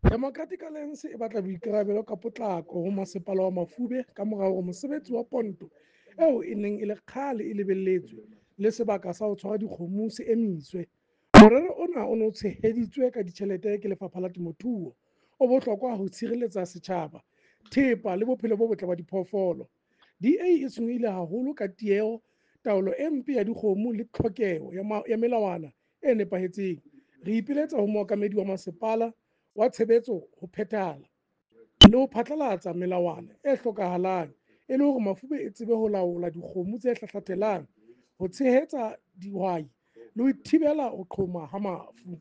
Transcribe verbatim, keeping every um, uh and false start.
Democratic Alliance e batla boikarabelo ka potlako ho Masepala wa Mafube kamora hore mosebetsi wa ponto eo e neng e le kgale e lebelletswe le sebaka sa ho tshwara dikgomo se emiswe. Morero ona o ne o tsheheditswe ka ditjhelete ke Lefapha la Temothuo, o bohlokwa ho tshireletsa setjhaba, thepa le bophelo bo botle ba diphoofolo. D A e tshwenyehile haholo ka tieho, taolo e mpe ya dikgomo le tlhokeho ya melawana e nepahetseng. Re ipiletsa ho mookamedi wa masepala wa tshebetso ho phethahala le ho phatlalatsa melawana e hlokahalang e le hore Mafube e tsebe ho laola dikgomo tse hlahlathelang, ho tshehetsa dihwai le ho thibela ho qhoma ha mafu.